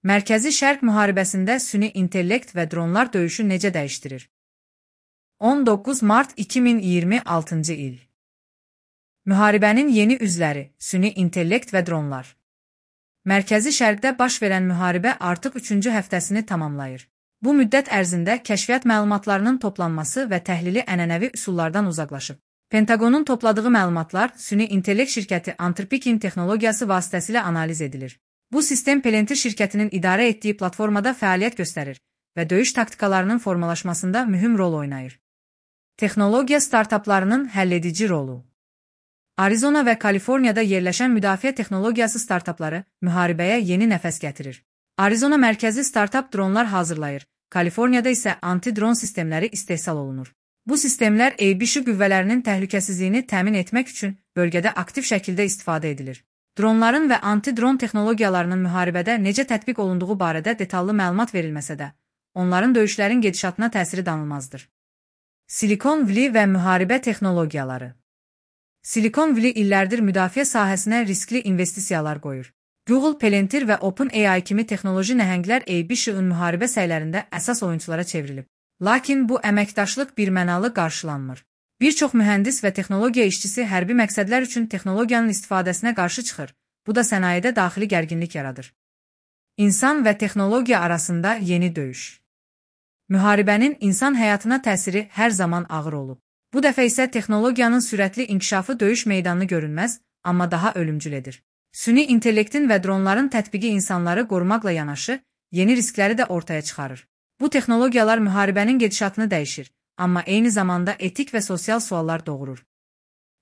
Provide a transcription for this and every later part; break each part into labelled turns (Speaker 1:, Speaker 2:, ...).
Speaker 1: Mərkəzi Şərq müharibəsində süni intellekt və dronlar döyüşü necə dəyişdirir? 19 mart 2026-cı il. Müharibənin yeni üzləri, süni intellekt və dronlar. Mərkəzi Şərqdə baş verən müharibə artıq 3-cü həftəsini tamamlayır. Bu müddət ərzində kəşfiyyat məlumatlarının toplanması və təhlili ənənəvi üsullardan uzaqlaşıb. Pentaqonun topladığı məlumatlar süni intellekt şirkəti Anthropic texnologiyası vasitəsilə analiz edilir. Bu sistem Palantir şirkətinin idarə etdiyi platformada fəaliyyət göstərir və döyüş taktikalarının formalaşmasında mühüm rol oynayır. Texnologiya startaplarının həlledici rolu. Arizona və Kaliforniyada yerləşən müdafiə texnologiyası startapları müharibəyə yeni nəfəs gətirir. Arizona mərkəzi startap dronlar hazırlayır, Kaliforniyada isə anti-dron sistemləri istehsal olunur. Bu sistemlər EBŞ qüvvələrinin təhlükəsizliyini təmin etmək üçün bölgədə aktiv şəkildə istifadə edilir. Dronların və anti-dron texnologiyalarının müharibədə necə tətbiq olunduğu barədə detallı məlumat verilməsə də, onların döyüşlərin gedişatına təsiri danılmazdır. Silikon Valley və müharibə texnologiyaları. Silikon Valley illərdir müdafiə sahəsinə riskli investisiyalar qoyur. Google, Palantir və OpenAI kimi texnoloji nəhənglər EBŞ-ın müharibə səylərində əsas oyunçulara çevrilib. Lakin bu əməkdaşlıq birmənalı qarşılanmır. Bir çox mühəndis və texnologiya işçisi hərbi məqsədlər üçün texnologiyanın istifadəsinə qarşı çıxır. Bu da sənayedə daxili gərginlik yaradır. İnsan və texnologiya arasında yeni döyüş. Müharibənin insan həyatına təsiri hər zaman ağır olub. Bu dəfə isə texnologiyanın sürətli inkişafı döyüş meydanını görünməz, amma daha ölümcül edir. Süni intellektin və dronların tətbiqi insanları qorumaqla yanaşı, yeni riskləri də ortaya çıxarır. Bu texnologiyalar müharibənin gedişatını dəyişir, amma eyni zamanda etik və sosial suallar doğurur.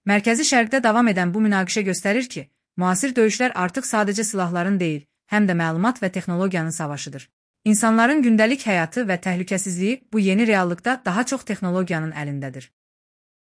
Speaker 1: Mərkəzi Şərqdə davam edən bu münaqişə göstərir ki, müasir döyüşlər artıq sadəcə silahların deyil, həm də məlumat və texnologiyanın savaşıdır. İnsanların gündəlik həyatı və təhlükəsizliyi bu yeni reallıqda daha çox texnologiyanın əlindədir.